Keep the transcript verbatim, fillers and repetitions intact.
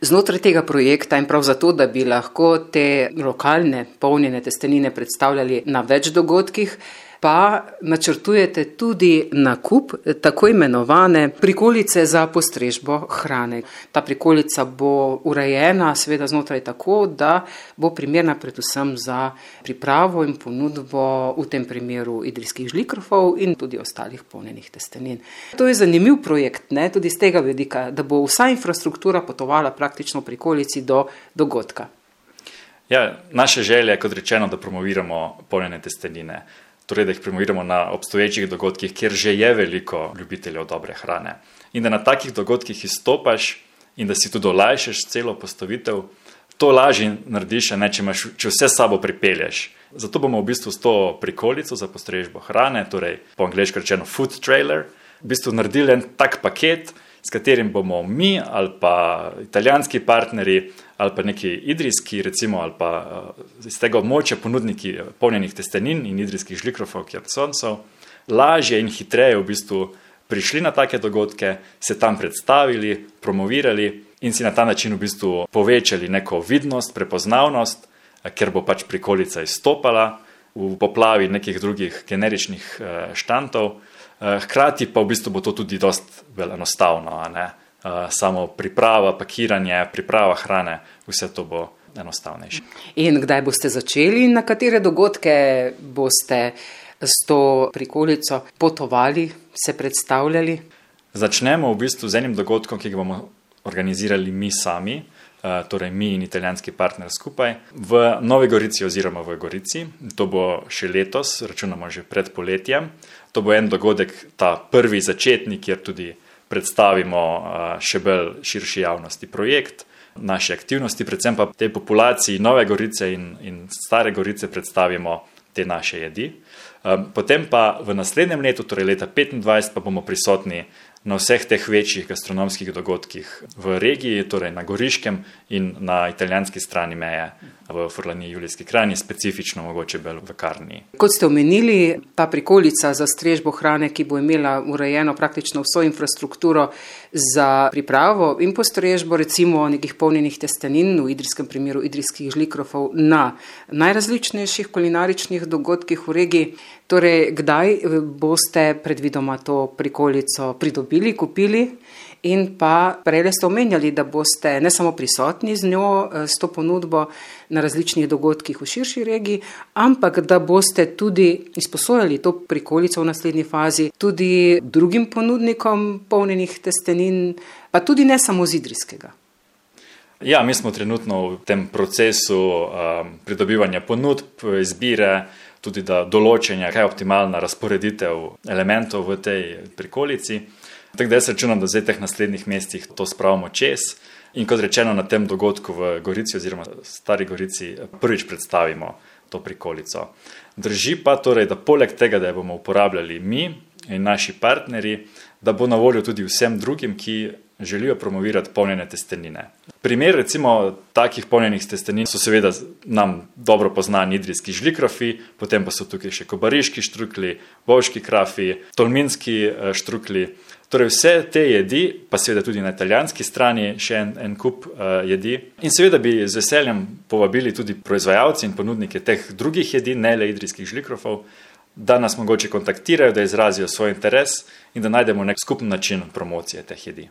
Znotraj tega projekta in prav zato, da bi lahko te lokalne polnjene testenine predstavljali na več dogodkih, pa načrtujete tudi nakup tako imenovane prikolice za postrežbo hrane. Ta prikolica bo urejena seveda znotraj tako, da bo primerna predvsem za pripravo in ponudbo v tem primeru idrijskih žlikrofov in tudi ostalih polnjenih testenin. To je zanimiv projekt, ne, tudi z tega vidika, da bo vsa infrastruktura potovala praktično v prikolici do dogodka. Ja, naša želja je, kot rečeno, da promoviramo polnjene testenine. Torej, da jih promoviramo na obstoječih dogodkih, kjer že je veliko ljubiteljev dobre hrane. In da na takih dogodkih izstopaš in da si tudi olajšaš celo postavitev, to lažje narediš, ne, če, imaš, če vse sabo pripelješ. Zato bomo v bistvu s to prikolico za postrežbo hrane, torej po angleško rečeno food trailer, v bistvu naredili en tak paket, s katerim bomo mi ali pa italijanski partnerji ali pa neki idrijski, recimo, ali pa iz tega območja ponudniki polnjenih testenin in idrijskih žlikrofov, kjersoncov, lažje in hitreje v bistvu prišli na take dogodke, se tam predstavili, promovirali in si na ta način v bistvu povečali neko vidnost, prepoznavnost, ker bo pač prikolica izstopala v poplavi nekih drugih generičnih štantov. Hkrati pa v bistvu bo to tudi dosti bolj enostavno, a ne? Samo priprava, pakiranje, priprava hrane, vse to bo enostavnejše. In kdaj boste začeli in na katere dogodke boste s to prikolico potovali, se predstavljali? Začnemo v bistvu z enim dogodkom, ki ga bomo organizirali mi sami, torej mi in italijanski partner skupaj, v Novi Gorici oziroma v Gorici. To bo še letos, računamo že pred poletjem. To bo en dogodek, ta prvi začetnik, kjer tudi predstavimo še bolj širši javnosti projekt, naše aktivnosti, predvsem pa tej populaciji Nove Gorice in, in Stare Gorice predstavimo te naše jedi. Potem pa v naslednjem letu, torej leta petindvajset, pa bomo prisotni na vseh teh večjih gastronomskih dogodkih v regiji, torej na Goriškem in na italijanski strani meje v Furlaniji, Julijski Krajini, specifično mogoče bolj v Karniji. Kot ste omenili, ta prikolica za strežbo hrane, ki bo imela urejeno praktično vso infrastrukturo za pripravo in postrežbo recimo nekih polnjenih testenin, v idrijskem primeru idrijskih žlikrofov, na najrazličnejših kulinaričnih dogodkih v regiji. Torej, kdaj boste predvidoma to prikolico pridobili, kupili? In pa prej ste omenjali, da boste ne samo prisotni z njo, s to ponudbo na različnih dogodkih v širši regiji, ampak da boste tudi izposojali to prikolico v naslednji fazi tudi drugim ponudnikom polnjenih testenin, pa tudi ne samo z idrijskega. Ja, mi smo trenutno v tem procesu um, pridobivanja ponudb, izbire, tudi da določenja, kaj je optimalna razporeditev elementov v tej prikolici. Tako da jaz računam, da zdaj teh naslednjih mestih to spravimo čez in kot rečeno na tem dogodku v Gorici oziroma Stari Gorici prvič predstavimo to prikolico. Drži pa torej, da poleg tega, da jo bomo uporabljali mi in naši partnerji, da bo na voljo tudi vsem drugim, ki želijo promovirati polnjene testenine. Primer recimo takih polnjenih testenin so seveda nam dobro poznani idrijski žlikrofi, potem pa so tukaj še kobariški štrukli, bovški krafi, tolminski štrukli. Torej vse te jedi, pa seveda tudi na italijanski strani še en, en kup uh, jedi. In seveda bi z veseljem povabili tudi proizvajalci in ponudnike teh drugih jedi, ne le idrijskih žlikrofov, da nas mogoče kontaktirajo, da izrazijo svoj interes in da najdemo nek skupen način promocije teh jedi.